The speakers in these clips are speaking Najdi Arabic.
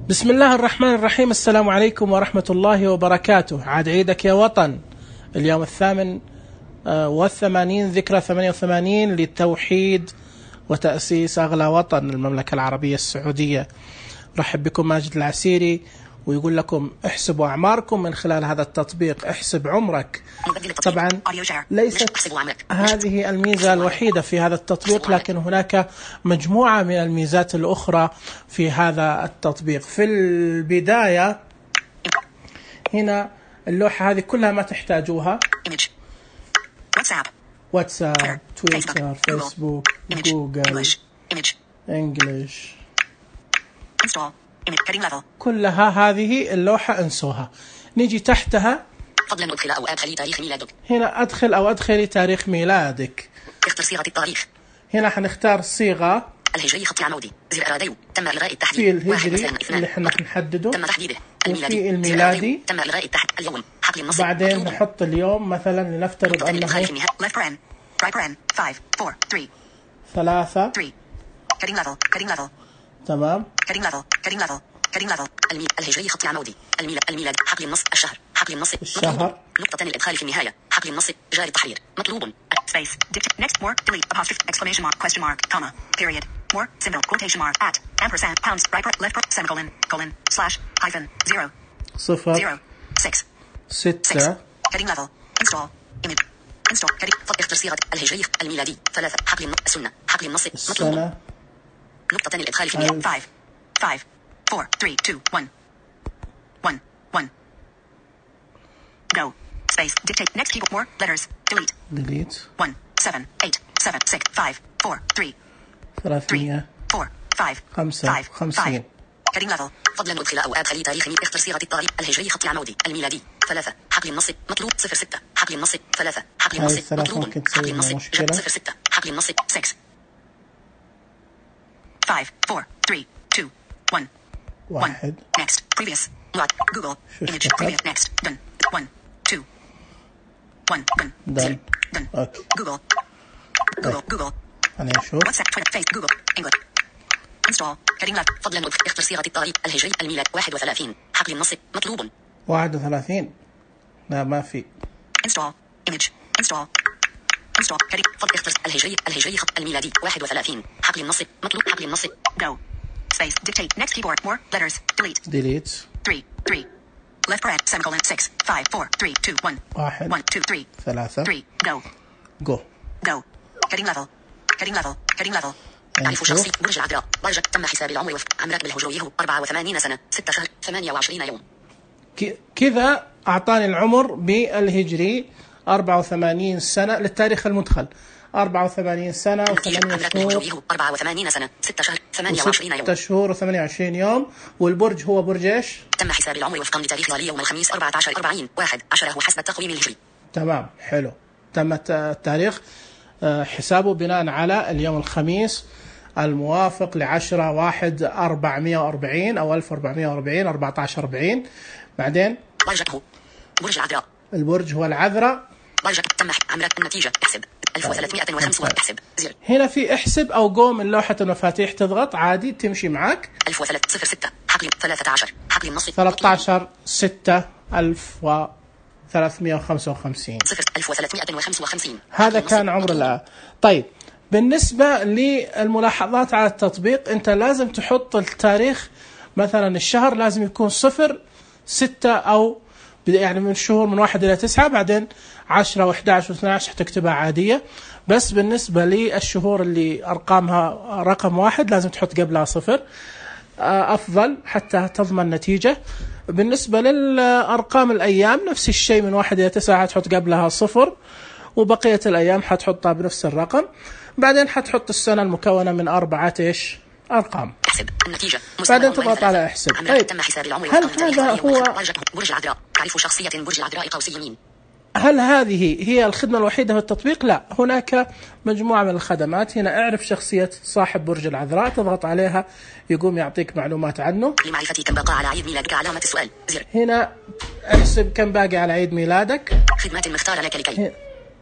بسم الله الرحمن الرحيم. السلام عليكم ورحمة الله وبركاته. عاد عيدك يا وطن. اليوم 88 ذكرى 88 للتوحيد وتأسيس أغلى وطن المملكة العربية السعودية. رحب بكم ماجد العسيري، ويقول لكم احسبوا أعماركم من خلال هذا التطبيق احسب عمرك. طبعا ليست هذه الميزة الوحيدة في هذا التطبيق، لكن هناك مجموعة من الميزات الأخرى في هذا التطبيق. في البداية هنا اللوحة هذه كلها ما تحتاجوها: واتساب، تويتر، فيسبوك، جوجل، انجليش، كلها هذه اللوحة انسوها. نيجي تحتها فضلا ادخل او ادخلي تاريخ ميلادك. هنا ادخل او ادخلي تاريخ ميلادك. اختر صيغة التاريخ. هنا حنختار الصيغة الهجري خط عمودي زر راديو. تم الغاء التحديد. في الهجري اللي احنا نحدده، تم تحديده. وفي الميلادي تم الغاء التحديد. اليوم حقل النص. بعدين نحط اليوم مثلا، لنفترض انه 3 تمام. الهجري خط عمودي الميلاد حقل النص. حقل النص الشهر. نقطة الإدخال في النهاية. حقل النص جاري التحرير مطلوب. space next more delete apostrophe exclamation mark question mark comma period more symbol quotation mark at ampersand pounds right left semicolon colon slash hyphen 0 6 heading level install image install heading اختر صيغة الهجري الميلادي 3 حقل النص السنة حقل النص مطلوب. نقطة الإدخال في النهاية 5 4 3 2 1 go space dictate next keyboard more letters delete 1 7 8 7 6 5 4 3 4 5 heading level فضلا ادخل او ادخلي تاريخ اختر صيغة التاريخ الهجري خط العمودي الميلادي 3 حقل النص مطلوب 06 حقل النص 3 حقل النص مطلوب حقل النص 06 حقل النص 6 5 4 3 2 1 next previous lot Google image previous next done 1 2 1 done okay. Google أنا أشوف WhatsApp Twitter Facebook Google English install heading left فضلا اختر صيغة التاريخ الهجري الميلاد 31 حقل النص مطلوب 31. لا ما في install image install heading فضل اختر الهجري خط الميلادي 31 حقل النص مطلوب حقل النص go space dictate next keyboard more letters delete 3 left right semicolon 6 5 4 3 2 1 1 2 3 go heading level تعرف شخصي برج العذراء برجك تم حساب العمر وفق عمرك بالهجويه 84 سنة 6 شهر 28 يوم. كذا أعطاني العمر بالهجري 84 سنة للتاريخ المدخل 84 سنة و8 شهور 84 سنة 6 شهر 28 يوم 6 شهور و28 يوم. والبرج هو برج ايش؟ تم حساب العمر وفقا لتاريخ ظل يوم الخميس 14/40/1 حسب التقويم الهجري. تمام حلو. تم التاريخ حسابه بناء على اليوم الخميس الموافق ل10/1/440 أو 1440 14/40. بعدين برجك برج العذراء. البرج هو العذراء. برجك تم عمرك النتيجة احسب 1305 احسب زر. هنا في احسب أو جو من لوحة المفاتيح، تضغط عادي تمشي معك 1306 حقل 13 حقل النص 13/6/1355 1355. هذا كان عمر الآن. طيب بالنسبة للملاحظات على التطبيق، أنت لازم تحط التاريخ. مثلا الشهر لازم يكون 0 6 أو يعني من الشهور من 1 إلى 9، بعدين 10 و11 و12 حتكتبها عادية. بس بالنسبة للشهور اللي أرقامها رقم 1 لازم تحط قبلها 0 أفضل حتى تضمن نتيجة. بالنسبة للأرقام الأيام نفس الشيء، من 1 إلى 9 حتحط قبلها 0، وبقية الأيام حتحطها بنفس الرقم. بعدين حتحط السنة المكونة من 4 أرقام. احسب النتيجة. بعدين تضغط على احسب. طيب هل هذا هو برج العذراء؟ تعرف شخصية برج العذراء قوسي يمين. هل هذه هي الخدمة الوحيدة في التطبيق؟ لا، هناك مجموعة من الخدمات. هنا اعرف شخصية صاحب برج العذراء، تضغط عليها يقوم يعطيك معلومات عنه. لمعرفة كم بقى على عيد ميلادك علامة السؤال زر. هنا احسب كم باقي على عيد ميلادك. خدمات مختارة لك لكي.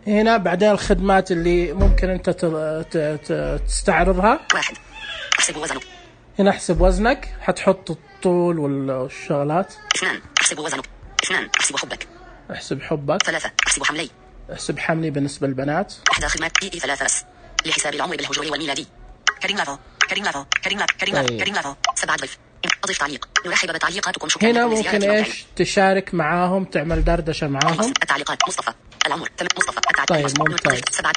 هنا بعدين الخدمات اللي ممكن انت تستعرضها. 1 احسب وزنك. هنا احسب وزنك، حتحط الطول والشغلات. 2 احسب وزنك. 2 احسب حبك. احسب حبك. 3 احسب حملي. احسب حملي بالنسبة للبنات. إحدى خدمات EE 3 بس لحساب العمر بالهجري والميلادي. كريم لافو. كريم لافو. كريم لافو. كريم لافو. كريم لافو. 7 ضيف. أضيف تعليق. نرحب بتعليقاتكم. شكرا. هنا ممكن ايش تشارك معاهم، تعمل دردشة معاهم. التعليقات مصطفى العمر مصطفى طيب ممتاز. 7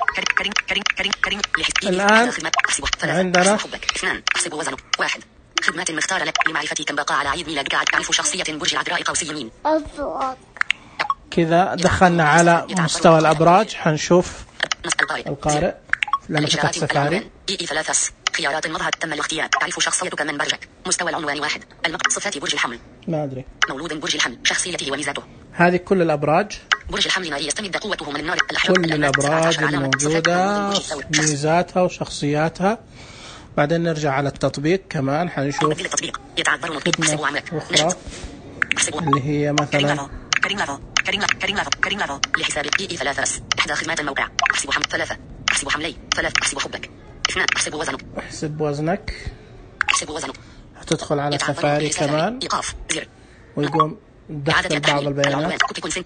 كريم الآن عندنا 2 احسب وزنك. 1 خدمات مختارة لك لمعرفة كم بقى على عيد ميلادك. أعرف شخصية برج العذراء قوسي يمين. كذا دخلنا على مستوى الأبراج. حنشوف القارئ لما فتح سفاري. EE 3 خيارات مظهر تم الاختيار. تعرف شخصيتك من برجك. مستوى العنوان 1 صفات برج الحمل. ما أدري. مولود برج الحمل. شخصيته وميزاته. هذه كل الأبراج. برج الحمل ناري يستمد قوته من النار. كل الأبراج الموجودة ميزاتها وشخصياتها. بعدين نرجع على التطبيق كمان حنشوف خدمة أخرى اللي هي مثلا كريم لافو لحساب EE 3 إحدى خدمات الموقع. احسب حمل 3 احسب حملي 3 احسب حبك. 2 احسب وزنك. احسب وزنك. احسب وزنك. هتدخل على سفاري كمان إيقاف زر ويقوم دخل بعض البيانات.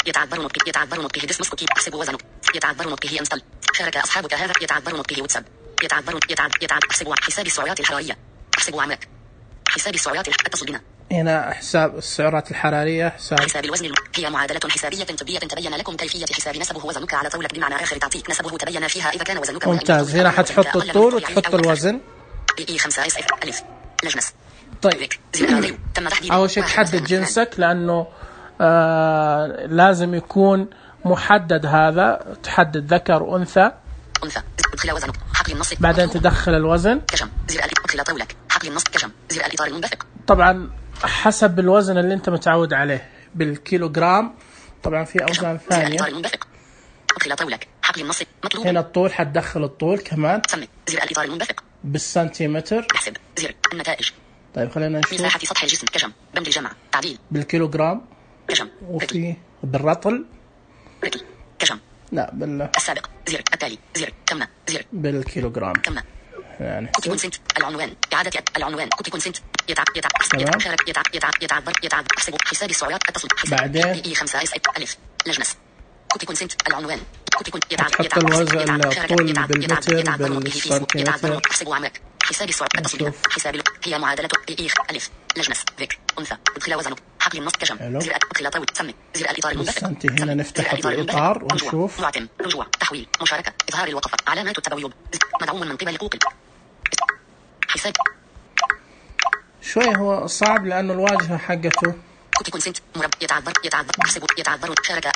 يتعذر نطقه ديس مسكوكي. احسب وزنك. يتعذر نطقه انستل. شارك أصحابك هذا. يتعذر نطقه واتساب. يتعذر احسب حساب السعرات الحرارية. احسب عمرك. حساب السعرات اتصل بنا. هنا حساب السعرات الحرارية. حساب الوزن هي معادلة حسابية طبية تبين لكم كيفية حساب نسبه وزنك على طولك بمعنى آخر تعطيك نسبه تبين فيها إذا كان وزنك. ممتاز. هنا حتحط الطول وتحط الوزن. EE 5 ألف لجنس. طيب أول شيء تحدد جنسك لأنه لازم يكون محدد. هذا تحدد ذكر وأنثى. ادخل وزنك. حقل النص. بعدين تدخل الوزن. كشم زر ادخل طولك. حقل النص كشم زر الإطار المنبثق. طبعا حسب الوزن اللي انت متعود عليه بالكيلوغرام. طبعا في اوزان ثانيه. ادخل طولك. حقل النص مطلوب. هنا الطول حتدخل الطول كمان. سمي زر الإطار المنبثق. بالسنتيمتر. احسب زر النتائج. طيب خلينا نشوف. مساحة سطح الجسم كشم بند الجمع تعديل. بالكيلوغرام. كشم. وفي بالرطل. رتل كشم. لا السابق زر التالي زر كم زر بالكيلوغرام. كم يعني كوتي كونسنت العنوان إعادة العنوان كوتي كونسنت احسب حساب السعرات اتصل. بعدين EE 5 ألف لجنس. كوتي كونسنت العنوان كوتي كونت حط الوزن الطول بالمتر بالسنتيمتر. احسب عمرك. حساب السعرات اتصل. حساب هي معادلة EE ألف لجنس ذكر أنثى. ادخل وزنك. حقل النص كشم زر ادخل طول سمي زر الإطار المنبثق. هنا نفتح الإطار ونشوف. معتم رجوع تحويل مشاركة إظهار الوقفة علامات التبويب مدعوم من قبل جوجل. حساب شوي هو صعب لأنه الواجهة حقته كوتي كونسنت يتعذر احسب شارك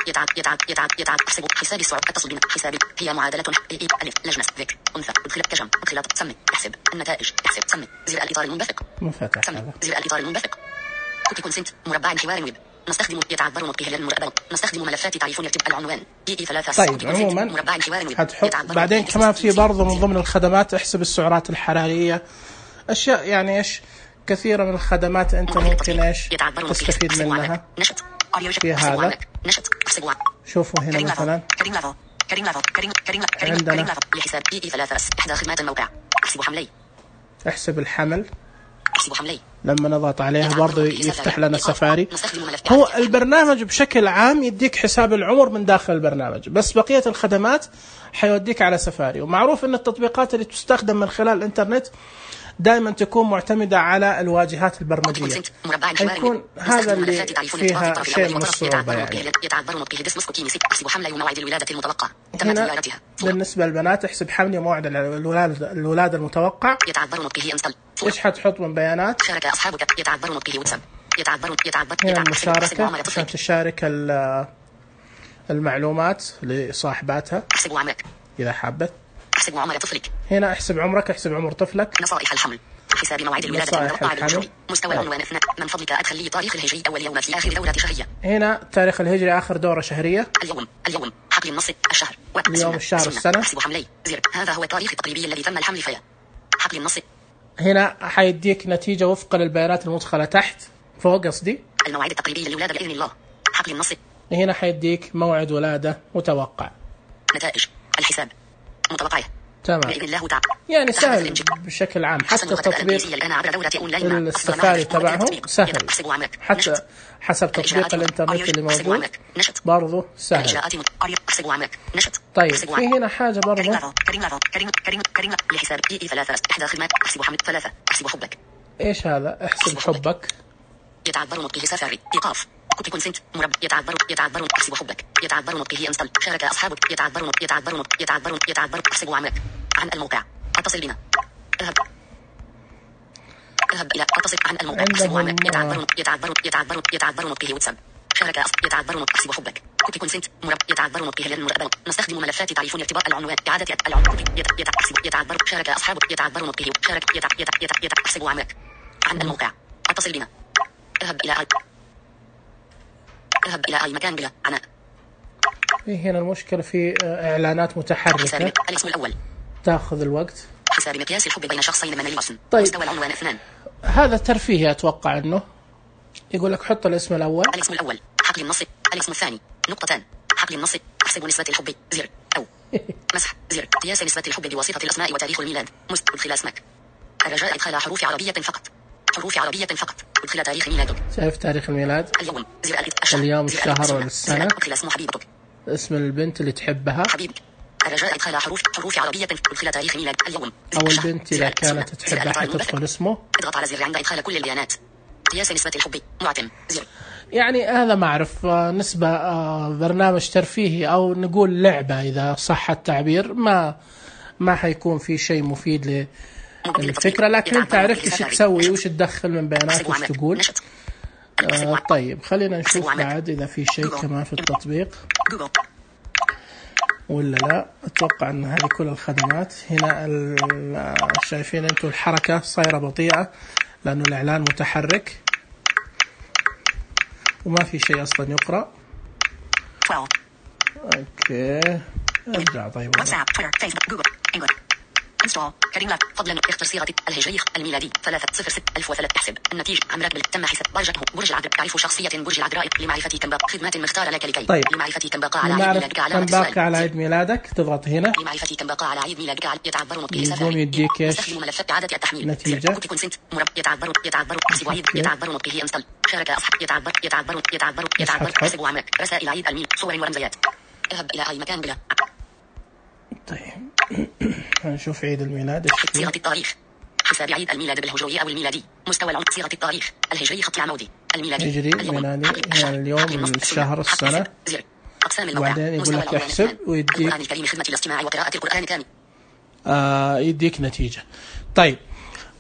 احسب حساب السعرات اتصل بنا. حساب هي معادلة EE ألف لجنس ذكر أنثى. ادخل كشم ادخل سمي احسب النتائج. احسب سمي زر الإطار المنبثق. مفتح سمي زر الإطار المنبثق. كوتي كونسنت مربع حوار ويب. نستخدم يتعذر نطقه للمربع. نستخدم ملفات تعرفون يكتب العنوان EE 3. طيب عموما هتحط بعدين كمان في برضه من ضمن الخدمات احسب السعرات الحرارية. أشياء يعني إيش كثيرة من الخدمات أنت ممكن إيش تستفيد منها في هذا. شوفوا هنا مثلا عندنا لحساب EE 3 إحدى خدمات الموقع. احسب حملي. احسب الحمل. احسب حملي. لما نضغط عليها برضو يفتح لنا سفاري. هو البرنامج بشكل عام يديك حساب العمر من داخل البرنامج، بس بقية الخدمات حيوديك على سفاري. ومعروف أن التطبيقات اللي تستخدم من خلال الإنترنت دائما تكون معتمدة على الواجهات البرمجية. يكون هذا اللي فيها شيء من الصعوبة يعني. هنا بالنسبة للبنات احسب حمل موعد الولادة المتوقع. ايش حتحط من بيانات؟ هنا المشاركة عشان تشارك المعلومات لصاحباتها إذا حابت. احسب عمر طفلك. هنا احسب عمرك. احسب عمر طفلك. نصائح الحمل. حساب موعد الولادة المتوقع بالمشروع. مستوى العنوان 2. من فضلك أدخل لي تاريخ الهجري أول يوم في آخر دورة شهرية. هنا تاريخ الهجري آخر دورة شهرية. اليوم حقل النص الشهر. اليوم الشهر السنة. احسب حملي زر. هذا هو التاريخ التقريبي الذي تم الحمل فيه. حقل النص. هنا حيديك نتيجة وفقا للبيانات المدخلة تحت فوق قصدي. الموعد التقريبي للولادة بإذن الله. حقل النص. هنا حيديك موعد ولادة متوقع. نتائج الحساب متوقعه. تمام. بإذن الله تعالى. يعني سهل بشكل عام، حتى تطبيق السفاري تبعهم سهل، حتى حسب تطبيق الانترنت اللي موجود برضو سهل. طيب في هنا حاجة برضو لحساب ثلاثة إحدى خدمات احسب حمد ثلاثة احسب حبك. ايش هذا؟ احسب حبك. يتعذر نطقه سفاري إيقاف كوبي كونسنت يتعذر احسب حبك. يتعذر نطقه انستل شارك أصحابك. يتعذر احسب عملك عن الموقع. اتصل بنا. اذهب إلى اتصل عن الموقع. احسب عملك. يتعذر نطقه واتساب شارك يتعذر احسب حبك. كوبي كونسنت يتعذر نطقه للمراقبة. نستخدم ملفات تعريفون ارتباط العنوان إعادة العنوان. يتعذر شارك أصحابك. يتعذر نطقه شارك احسب عملك عن الموقع. اتصل بنا. اذهب إلى أي مكان بلا عناء. هنا المشكلة في إعلانات متحركة. الاسم الأول تأخذ الوقت. حساب مقياس الحب بين شخصين من الوصن. طيب. مستوى العنوان 2. هذا ترفيهي أتوقع إنه يقول لك حط الاسم الأول. الاسم الأول حقل النص. الاسم الثاني نقطتان. حقل النص احسب نسبة الحب زر أو مسح زر قياس نسبة الحب بواسطة الأسماء وتاريخ الميلاد. ادخل اسمك. الرجاء إدخال حروف عربية فقط. حروف عربية فقط. ادخل تاريخ ميلادك. شايف تاريخ الميلاد؟ اليوم اليوم الشهر والسنة. ادخل اسم حبيبتك. اسم البنت اللي تحبها. حبيبك. الرجاء إدخال حروف عربية. ادخل تاريخ ميلاد اليوم. أو البنت إذا كانت تحبها حتدخل اسمه. اضغط على زر عند إدخال كل البيانات. قياس نسبة الحب معتم زر. يعني هذا ما أعرف نسبة برنامج ترفيهي أو نقول لعبة إذا صح التعبير. ما حيكون في شيء مفيد للفكرة، لكن أنت عرفت إيش تسوي وإيش تدخل من بيانات وإيش تقول. طيب خلينا نشوف بعد إذا في شيء كمان في التطبيق ولا لا. أتوقع أن هذه كل الخدمات هنا. شايفين أنتم الحركة صايرة بطيئة لأنه الإعلان متحرك وما في شيء أصلا يقرأ. أوكي أرجع. طيب واتساب تويتر فيسبوك جوجل انجلش انستول كريم لك فضلا اختر صيغة الهجري الميلادي 306 احسب النتيجة عمرك تم حساب درجته برج العذراء. تعرف شخصية برج العذراء لمعرفة كم باقة خدمات مختارة لك لكي. طيب. لمعرفة كم باقة على عيد ميلادك على عيد ميلادك تضغط هنا. لمعرفة كم باقة على عيد ميلادك يتعبر نطقه يقوم يديك ايش؟ نستخدم ملفات إعادة التحميل. نتيجة كوبي كونسنت يتعبر احسب عيد. يتعبر نطقه انستل شارك أصحاب. يتعبر احسب عمرك. رسائل عيد الميلاد صور ورمزيات. اذهب إلى أي مكان بلا. طيب نشوف عيد الميلاد. صيغة التاريخ حساب عيد الميلاد بالهجري أو الميلادي. مستوى العمر صيغة التاريخ الهجري خط العمودي الميلادي هجري ميلادي يعني اليوم الشهر السنة. أقسام الموقع. وبعدين يقول لك احسب ويديك القرآن الكريم خدمة الاستماع وقراءة القرآن كامل. يديك نتيجة. طيب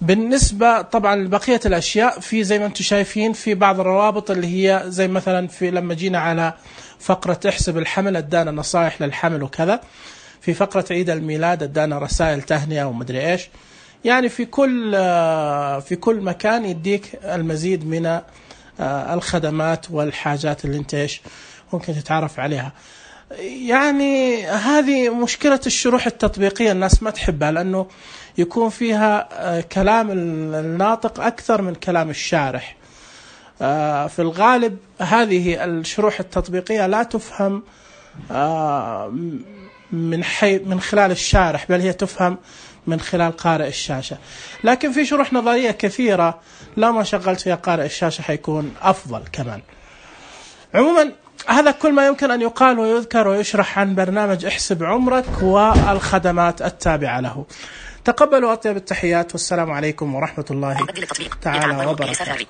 بالنسبة طبعا لبقية الأشياء في زي ما أنتم شايفين في بعض الروابط اللي هي زي مثلا في لما جينا على فقرة احسب الحمل ادانا نصائح للحمل وكذا. في فقرة عيد الميلاد ادانا رسائل تهنئة ومدري ايش. يعني في كل مكان يديك المزيد من الخدمات والحاجات اللي انت ايش ممكن تتعرف عليها. يعني هذه مشكلة الشروح التطبيقية، الناس ما تحبها لأنه يكون فيها كلام الناطق أكثر من كلام الشارح. في الغالب هذه الشروح التطبيقية لا تفهم من خلال الشارح، بل هي تفهم من خلال قارئ الشاشة. لكن في شروح نظرية كثيرة لو ما شغلت فيها قارئ الشاشة حيكون أفضل كمان. عموما هذا كل ما يمكن أن يقال ويذكر ويشرح عن برنامج احسب عمرك والخدمات التابعة له. تقبلوا أطيب التحيات والسلام عليكم ورحمة الله تعالى وبركاته.